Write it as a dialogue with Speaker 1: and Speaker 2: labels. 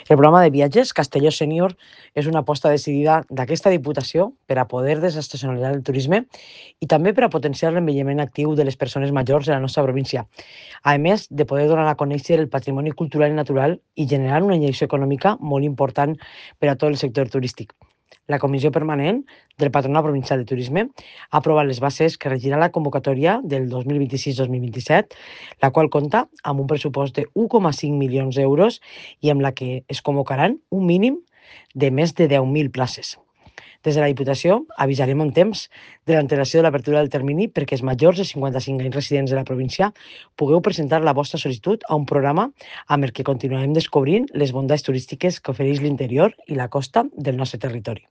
Speaker 1: El programa de viatges Castelló Sènior és una aposta decidida d'aquesta Diputació per a poder desestacionalitzar el turisme i també per a potenciar l'envelliment actiu de les persones majors de la nostra província, a més de poder donar a conèixer el patrimoni cultural i natural i generar una injecció econòmica molt important per a tot el sector turístic. La Comissió Permanent del Patronat Provincial de Turisme ha aprovat les bases que regirà la convocatòria del 2026-2027, la qual compta amb un pressupost de 1,5 milions d'euros i amb la que es convocaran un mínim de més de 10.000 places. Des de la Diputació avisarem en temps de l'antelació de l'apertura del termini perquè els majors de 55 anys residents de la província pugueu presentar la vostra sol·licitud a un programa amb el que continuarem descobrint les bondats turístiques que ofereix l'interior i la costa del nostre territori.